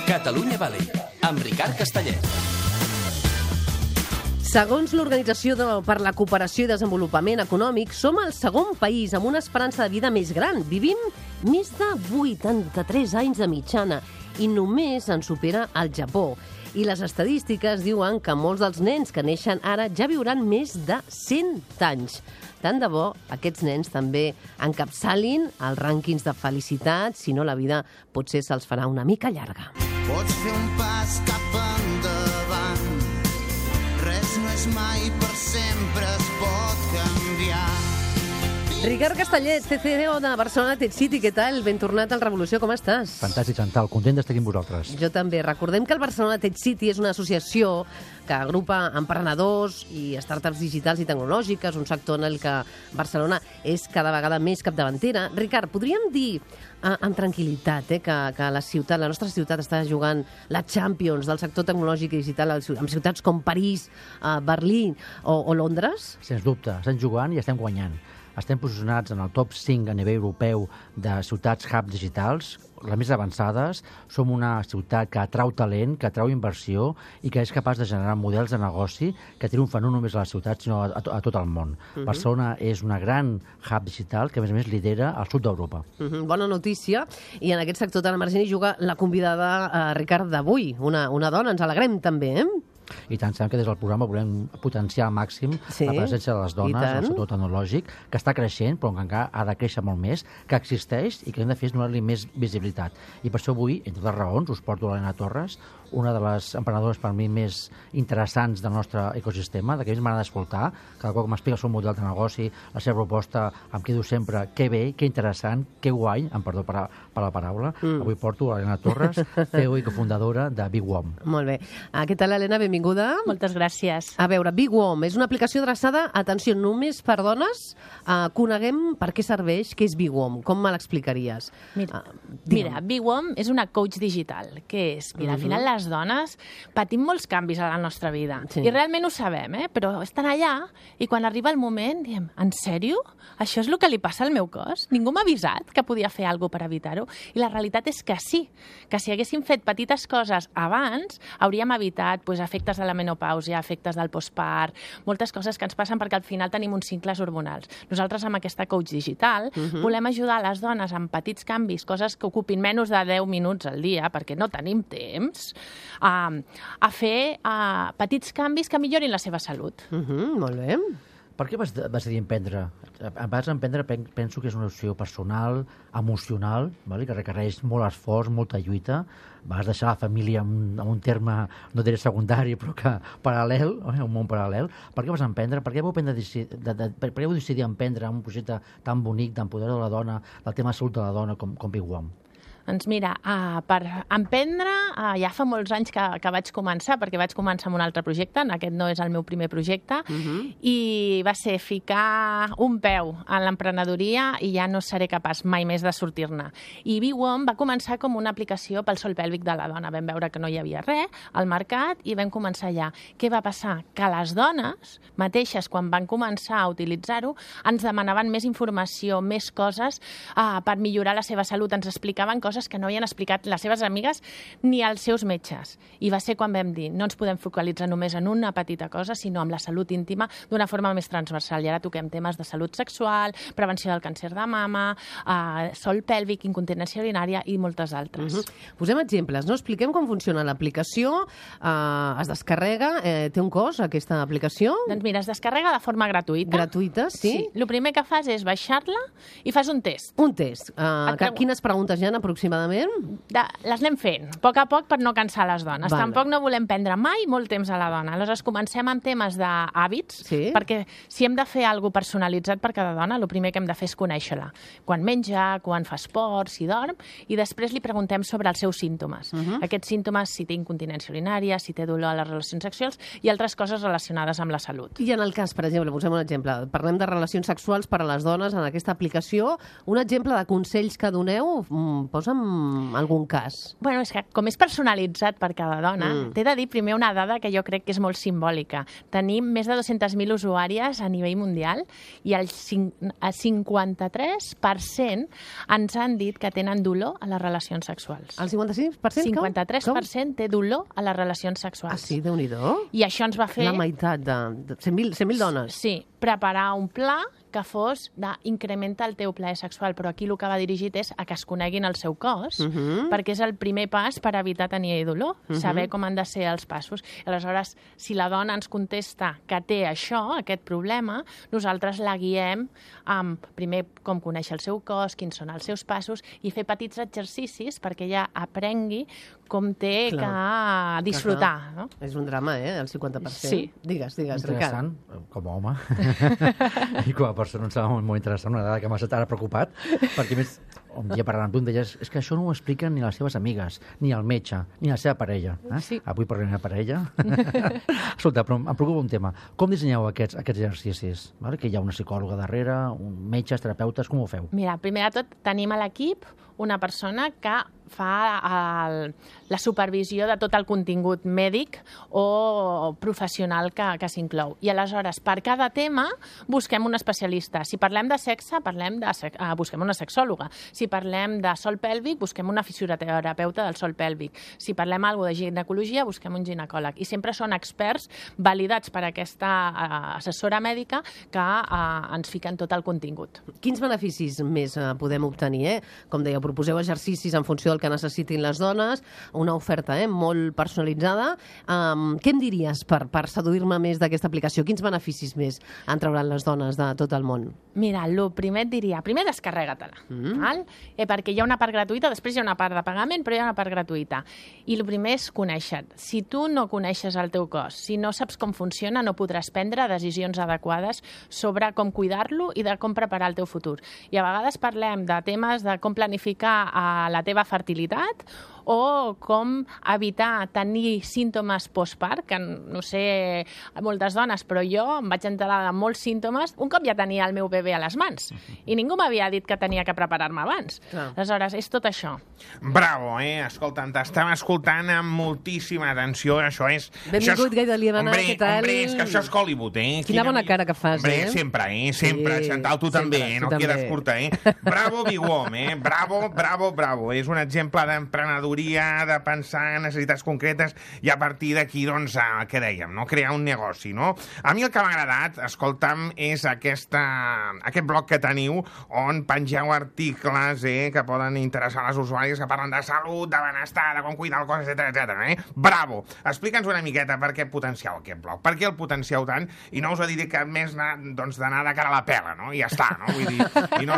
Catalunya Valley, amb Ricard Castellet. Segons l'Organització per la Cooperació i Desenvolupament Econòmic, som el segon país amb una esperança de vida més gran. Vivim més de 83 anys de mitjana i només ens supera el Japó. I les estadístiques diuen que molts dels nens que neixen ara ja viuran més de 100 anys. Tant de bo aquests nens també encapçalin els rànquings de felicitat, si no la vida potser se'ls farà una mica llarga. Pots fer un pas cap endavant, res no és mai per sempre, es pot canviar. Ricard Castellet, CCO de Barcelona Tech City, què tal? Ben tornat al Revolució, com estàs? Fantàstic, Chantal, content d'estar aquí amb vosaltres. Jo també. Recordem que el Barcelona Tech City és una associació que agrupa emprenedors i startups digitals i tecnològiques, un sector en el que Barcelona és cada vegada més capdavantera. Ricard, podríem dir amb tranquil·litat que la nostra ciutat està jugant la Champions del sector tecnològic i digital amb ciutats com París, Berlín o Londres? Sens dubte, estem jugant i estem guanyant. Estem posicionats en el top 5 a nivell europeu de ciutats hub digitals, les més avançades. Som una ciutat que atrau talent, que atrau inversió i que és capaç de generar models de negoci que triomfen no només a la ciutat, sinó a tot el món. Barcelona és una gran hub digital que, a més, lidera al sud d'Europa. Bona notícia. I en aquest sector tan emergent hi juga la convidada, Ricard, d'avui, una dona. Ens alegrem també, I tant, sabem que des del programa volem potenciar al màxim la presència de les dones en el sector tecnològic, que està creixent, però que encara ha de créixer molt més, que existeix i que hem de fer és donar-li més visibilitat. I per això avui, entre altres raons, us porto l'Helena Torres, una de les emprenedores per mi més interessants del nostre ecosistema, de que més m'agrada escoltar, cada cop que m'explica el seu model de negoci, la seva proposta, em quedo sempre que bé, que interessant, que guai, em perdó per la paraula. Avui porto l'Helena Torres, CEO i cofundadora de BigWom. Molt bé. Què tal, Helena? Benvinguda. Moltes gràcies. A veure, BigWom és una aplicació adreçada, atenció, només per dones. Coneguem per què serveix, què és BigWom. Com me l'explicaries? Mira, BigWom és una coach digital. Què és? Mira, al final les dones patim molts canvis a la nostra vida. Sí. I realment ho sabem, però estan allà i quan arriba el moment diem, en sèrio? Això és el que li passa al meu cos? Ningú m'ha avisat que podia fer alguna cosa per evitar-ho? I la realitat és que sí, que si haguéssim fet petites coses abans, hauríem evitat efectes de la menopàusia, efectes del postpart, moltes coses que ens passen perquè al final tenim uns cicles hormonals. Nosaltres amb aquesta coach digital volem ajudar les dones amb petits canvis, coses que ocupin menys de 10 minuts al dia, perquè no tenim temps, a fer petits canvis que millorin la seva salut. Molt bé. Per què vas decidir emprendre? Vas emprendre, penso que és una opció personal, emocional, que requereix molt esforç, molta lluita. Vas deixar la família en un terme, no diré secundari, però que paral·lel, un món paral·lel. Per què vas emprendre? Per què vau decidir emprendre un projecte tan bonic d'empoderar la dona, del tema de salut de la dona com BigWom? Doncs mira, per emprendre ja fa molts anys que vaig començar, perquè vaig començar amb un altre projecte, aquest no és el meu primer projecte, i va ser ficar un peu en l'emprenedoria i ja no seré capaç mai més de sortir-ne. I BigWom va començar com una aplicació pel sòl pèlvic de la dona. Vam veure que no hi havia res al mercat i vam començar allà. Què va passar? Que les dones mateixes, quan van començar a utilitzar-ho, ens demanaven més informació, més coses per millorar la seva salut. Ens explicaven coses que no havien explicat les seves amigues ni als seus metges. I va ser quan vam dir, no ens podem focalitzar només en una petita cosa, sinó en la salut íntima d'una forma més transversal. I ara toquem temes de salut sexual, prevenció del càncer de mama, sòl pèlvic, incontinència urinària i moltes altres. Posem exemples, no? Expliquem com funciona l'aplicació, es descarrega, té un cost aquesta aplicació? Doncs mira, es descarrega de forma gratuïta. Gratuïta, sí? El primer que fas és baixar-la i fas un test. Un test. Quines preguntes hi ha aproximadament? Les anem fent, a poc per no cansar les dones. Tampoc no volem prendre mai molt temps a la dona. Aleshores comencem amb temes d'hàbits, perquè si hem de fer alguna cosa personalitzat per cada dona, el primer que hem de fer és conèixer-la. Quan menja, quan fa esport, si dorm, i després li preguntem sobre els seus símptomes. Aquests símptomes, si té incontinència urinària, si té dolor a les relacions sexuals i altres coses relacionades amb la salut. I en el cas, per exemple, posem un exemple, parlem de relacions sexuals per a les dones en aquesta aplicació, un exemple de consells que doneu, posa'm amb algun cas? Bueno, és que com és personalitzat per cada dona, t'he de dir primer una dada que jo crec que és molt simbòlica. Tenim més de 200.000 usuàries a nivell mundial i el 53% ens han dit que tenen dolor a les relacions sexuals. El 55%? 53% té dolor a les relacions sexuals. Ah, sí? Déu-n'hi-do. I això ens va fer... La meitat de 100.000 dones. Sí, preparar un pla que fos d'incrementar el teu plaer sexual, però aquí el que va dirigit és a que es coneguin el seu cos, perquè és el primer pas per evitar tenir dolor, saber com han de ser els passos. Aleshores, si la dona ens contesta que té això, aquest problema, nosaltres la guiem amb, primer, com conèixer el seu cos, quins són els seus passos, i fer petits exercicis perquè ella aprengui com té que disfrutar. No? És un drama, el 50%. Sí. Digues, Ricard. Interessant, com a home. I com a persona em sembla molt interessant, una dada que m'ha estat ara preocupat, perquè més, un dia parlant amb tu em deies, és que això no ho expliquen ni les seves amigues, ni el metge, ni la seva parella. Sí. Avui parlem de parella. Escolta, però em preocupa un tema. Com dissenyeu aquests exercicis? Vale? Que hi ha una psicòloga darrere, metges, terapeutes, com ho feu? Mira, primer de tot tenim a l'equip una persona que fa la supervisió de tot el contingut mèdic o professional que s'inclou. I aleshores, per cada tema, busquem un especialista. Si parlem de sexe, busquem una sexòloga. Si parlem de sòl pèlvic, busquem una fisioterapeuta del sòl pèlvic. Si parlem alguna de ginecologia, busquem un ginecòleg. I sempre són experts validats per aquesta assessora mèdica que ens fiquen tot el contingut. Quins beneficis més podem obtenir? Com dèieu, proposeu exercicis en funció del que necessitin les dones, una oferta molt personalitzada. Què em diries per seduir-me més d'aquesta aplicació? Quins beneficis més en trauran les dones de tot el món? Mira, el primer et diria, primer descarrega-te-la, perquè hi ha una part gratuïta, després hi ha una part de pagament, però hi ha una part gratuïta. I el primer és conèixer-te. Si tu no coneixes el teu cos, si no saps com funciona, no podràs prendre decisions adequades sobre com cuidar-lo i de com preparar el teu futur. I a vegades parlem de temes de com planificar la teva fertilitat o com evitar tenir símptomes postpart, que no sé, moltes dones, però jo em vaig enterar de molts símptomes un cop ja tenia el meu bebè a les mans i ningú m'havia dit que tenia que preparar-me abans. Aleshores, és tot això. Bravo, escolta'm, t'estem escoltant amb moltíssima atenció, això és... Benvingut, Gai de Liebana, què tal? Hombre, és que això és Hollywood, Quina bona cara que fas, Sempre, Chantal, tu també, no quieres curta, Bravo, Big Wom, bravo. És un exemple d'emprenedoria, de pensar en necessitats concretes i a partir d'aquí, doncs, què dèiem, no? Crear un negoci, no? A mi el que m'ha agradat, escolta'm, és aquest blog que teniu on pengeu articles que poden interessar a les usuàries que parlen de salut, de benestar, de com cuidar el cos, etc. Bravo! Explica'ns una miqueta per què potencieu aquest blog, per què el potencieu tant, i no us ho diré que més d'anar de cara a la pela, no? I ja està, no? Vull dir, i no...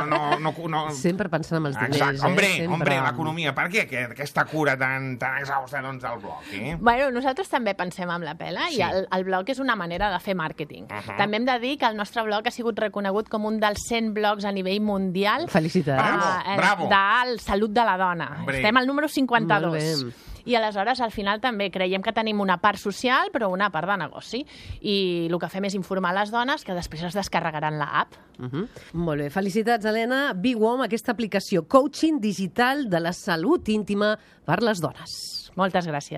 Sempre pensant en els diners, Exacte, hombre, l'economia. Per què aquesta cura tan exhausta, doncs, del blog, Bueno, nosaltres també pensem en la pela i el blog és una manera de fer màrqueting. També hem de dir que el nostre blog ha sigut reconegut com un dels 100 blogs a nivell mundial. Felicitats. Bravo. De salut de la dona. Hombre. Estem al número 52. I aleshores, al final, també creiem que tenim una part social, però una part de negoci. I el que fem és informar les dones que després es descarregaran l'app. Molt bé. Felicitats, Helena. Big Wom, aquesta aplicació coaching digital de la salut íntima per les dones. Moltes gràcies.